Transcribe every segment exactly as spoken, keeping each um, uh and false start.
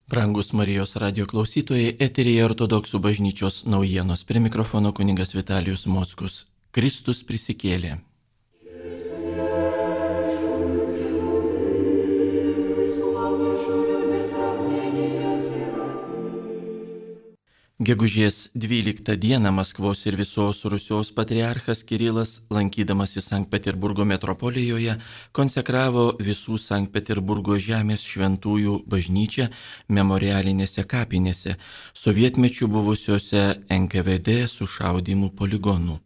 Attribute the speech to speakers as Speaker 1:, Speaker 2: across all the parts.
Speaker 1: Brangus Marijos radio klausytojai, eteryje Ortodoksų bažnyčios naujienos. Prie mikrofono kunigas Vitalijus Mockus. Kristus prisikėlė. Gegužės dvyliktą dieną Maskvos ir visos Rusijos patriarchas Kirilas, lankydamasis Sankt Peterburgo metropolijoje, konsekravo visų Sankt Peterburgo žemės šventųjų bažnyčią memorialinėse kapinėse, sovietmečių buvusiuose N K V D sušaudymų poligonų.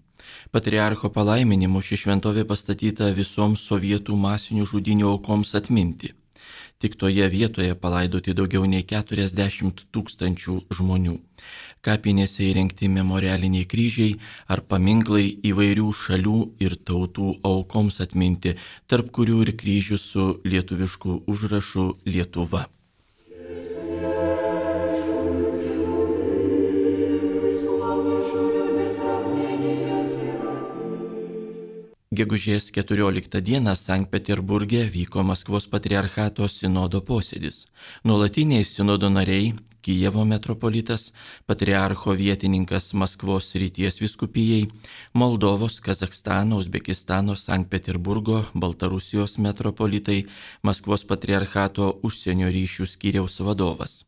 Speaker 1: Patriarcho palaiminimu ši šventovė pastatyta visoms sovietų masinių žudynių aukoms atminti. Tik toje vietoje palaidoti daugiau nei keturiasdešimt tūkstančių žmonių. Kapinėse įrengti memorialiniai kryžiai ar paminklai įvairių šalių ir tautų aukoms atminti, tarp kurių ir kryžius su lietuvišku užrašu Lietuva. Gegužės keturioliktą dieną Sankt Peterburge vyko Maskvos patriarchato sinodo posėdis. Nuolatiniai sinodo nariai, Kijevo metropolitas, patriarcho vietininkas Maskvos srities vyskupijai, Moldovos, Kazachstano, Uzbekistano, Sankt Peterburgo, Baltarusijos metropolitai, Maskvos patriarchato užsienio ryšių skyriaus vadovas.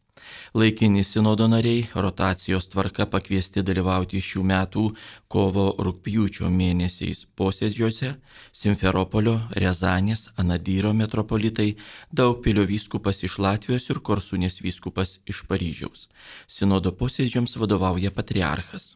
Speaker 1: Laikini sinodo nariai rotacijos tvarka pakviesti dalyvauti šių metų kovo-rugpjūčio mėnesiais posėdžiuose Simferopolio, Rezanės, Anadyro metropolitai, Daugpilio vyskupas iš Latvijos ir Korsunės vyskupas iš Paryžiaus. Sinodo posėdžiams vadovauja patriarchas.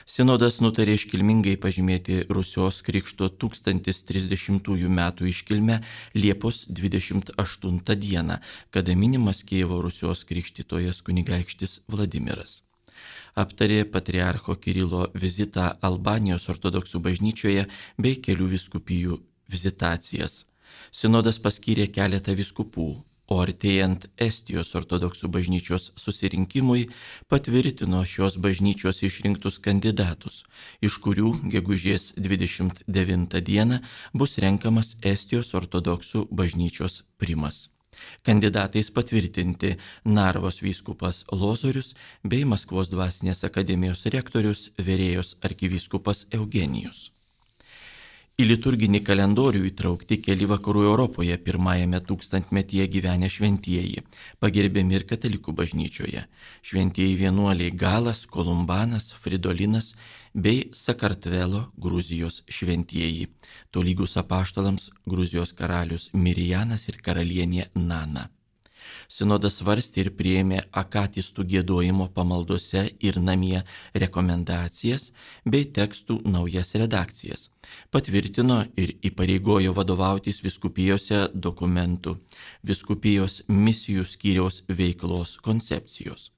Speaker 1: Sinodas nutarė iškilmingai pažymėti Rusijos krikšto tūkstantis trisdešimtųjų metų iškilmę Liepos dvidešimt aštuntą dieną, kada minimas Kijevo Rusijos krikštytojas kunigaikštis Vladimiras. Aptarė patriarcho Kirilo vizitą Albanijos ortodoksų bažnyčioje bei kelių vyskupijų vizitacijas. Sinodas paskyrė keletą vyskupų, o artėjant Estijos ortodoksų bažnyčios susirinkimui patvirtino šios bažnyčios išrinktus kandidatus, iš kurių gegužės dvidešimt devintą dieną bus renkamas Estijos ortodoksų bažnyčios primas. Kandidatais patvirtinti Narvos vyskupas Lozorius bei Maskvos dvasinės akademijos rektorius Verėjos arkivyskupas Eugenijus. Į liturginį kalendorių įtraukti keli vakarų Europoje pirmajame tūkstantmetyje gyvenę šventieji, pagerbiami ir katalikų bažnyčioje. Šventieji vienuoliai Galas, Kolumbanas, Fridolinas bei Sakartvelo Gruzijos šventieji, tolygus apaštalams Gruzijos karalius Mirijanas ir karalienė Nana. Sinodas svarstė ir priėmė akatistų giedojimo pamaldose ir namie rekomendacijas bei tekstų naujas redakcijas. Patvirtino ir įpareigojo vadovautis vyskupijose dokumentų, vyskupijos misijų skyriaus veiklos koncepcijos.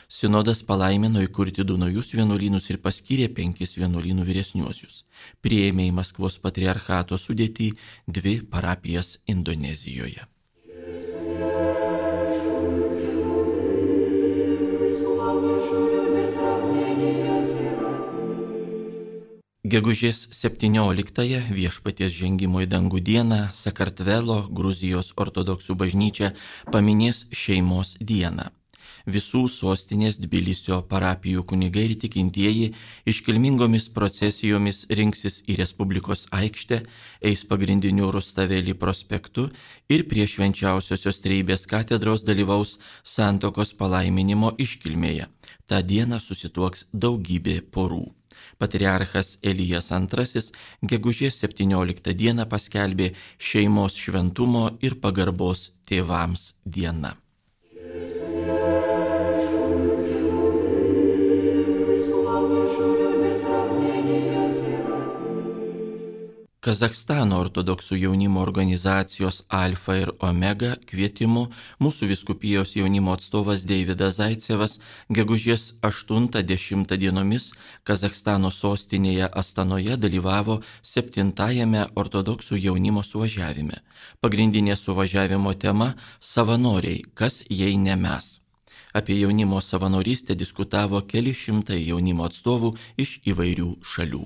Speaker 1: Sinodas palaimino įkurti du naujus vienuolynus ir paskyrė penkis vienuolynų vyresniuosius. Priėmė į Maskvos patriarchato sudėtį dvi parapijas Indonezijoje. Gegužės septynioliktąją Viešpaties žengimo į dangų dieną Sakartvelo Gruzijos ortodoksų bažnyčia paminės šeimos dieną. Visų sostinės Tbilisio parapijų kunigai ir tikintieji iškilmingomis procesijomis rinksis į Respublikos aikštę, eis pagrindiniu Rustavelį prospektu ir prie Švenčiausiosios Trejybės katedros dalyvaus santuokos palaiminimo iškilmėje. Ta diena susituoks daugybė porų. Patriarchas Elijas antrasis gegužės septynioliktą dieną paskelbė šeimos šventumo ir pagarbos tėvams diena. Kazachstano ortodoksų jaunimo organizacijos Alfa ir Omega kvietimu mūsų vyskupijos jaunimo atstovas Deividas Zaicevas gegužės aštuntą dešimtą dienomis Kazachstano sostinėje Astanoje dalyvavo septintajame ortodoksų jaunimo suvažiavime. Pagrindinė suvažiavimo tema – savanoriai, kas jei ne mes. Apie jaunimo savanorystę diskutavo keli šimtai jaunimo atstovų iš įvairių šalių.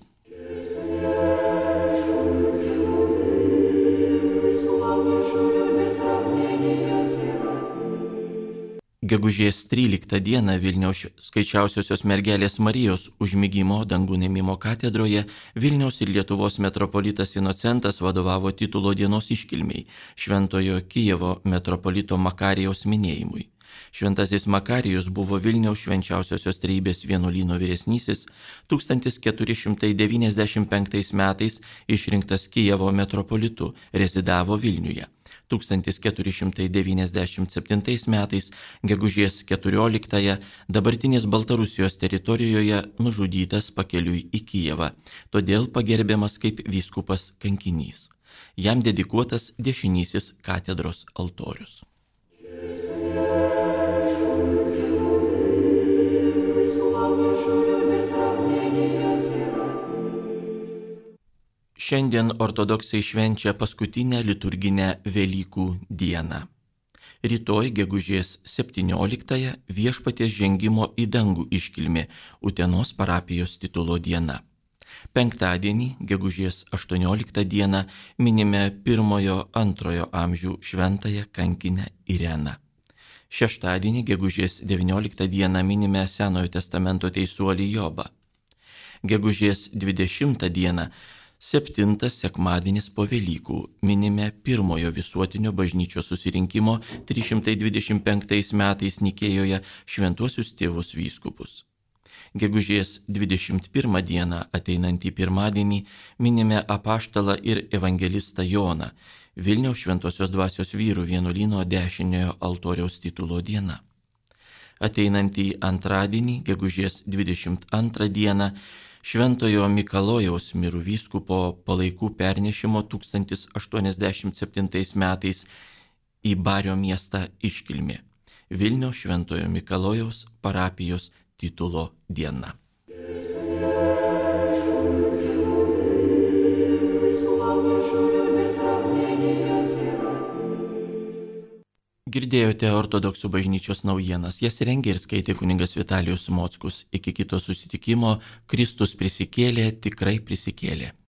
Speaker 1: Gegužės tryliktą dieną Vilniaus skaičiausiosios mergelės Marijos užmigimo dangų ėmimo katedroje Vilniaus ir Lietuvos metropolitas Inocentas vadovavo titulo dienos iškilmiai Šventojo Kijevo metropolito Makarijaus minėjimui. Šventasis Makarijus buvo Vilniaus švenčiausiosios trejybės vienuolyno vyresnysis, tūkstantis keturi šimtai devyniasdešimt penktais metais išrinktas Kijevo metropolitu, rezidavo Vilniuje. tūkstantis keturi šimtai devyniasdešimt septintais metais, gegužės keturioliktąją, dabartinės Baltarusijos teritorijoje nužudytas pakeliui į Kijevą, todėl pagerbiamas kaip vyskupas kankinys. Jam dedikuotas dešinysis katedros altorius. Šiandien ortodoksai švenčia paskutinę liturginę Velykų dieną. Rytoj gegužės septynioliktąją Viešpaties žengimo į dangų iškilmė Utenos parapijos titulo diena. Penktadienį gegužės aštuonioliktą dieną minime pirmojo antrojo amžių šventąją kankinę Ireną. Šeštadienį gegužės devynioliktą dieną minime Senojo testamento teisuolį Jobą. Gegužės dvidešimtą dieną septintas sekmadienis po Velykų minime pirmojo visuotinio bažnyčios susirinkimo trys šimtai dvidešimt penktais metais Nikėjoje šventuosius tėvus vyskupus. Gegužės dvidešimt pirmą dieną ateinantį pirmadienį minime apaštalą ir evangelistą Joną, Vilniaus šventosios dvasios vyrų vienuolyno dešiniojo altoriaus titulo diena. Ateinantį antradienį, gegužės dvidešimt antrą dieną, Šventojo Mikalojaus mirų vyskupo palaikų pernešimo tūkstantis aštuoniasdešimt septintais metais į Bario miestą iškilmė Vilniaus Šventojo Mikalojaus parapijos titulo diena. Girdėjote ortodoksų bažnyčios naujienas, jas rengė ir skaitė kunigas Vitalijus Mockus. Iki kito susitikimo, Kristus prisikėlė, tikrai prisikėlė.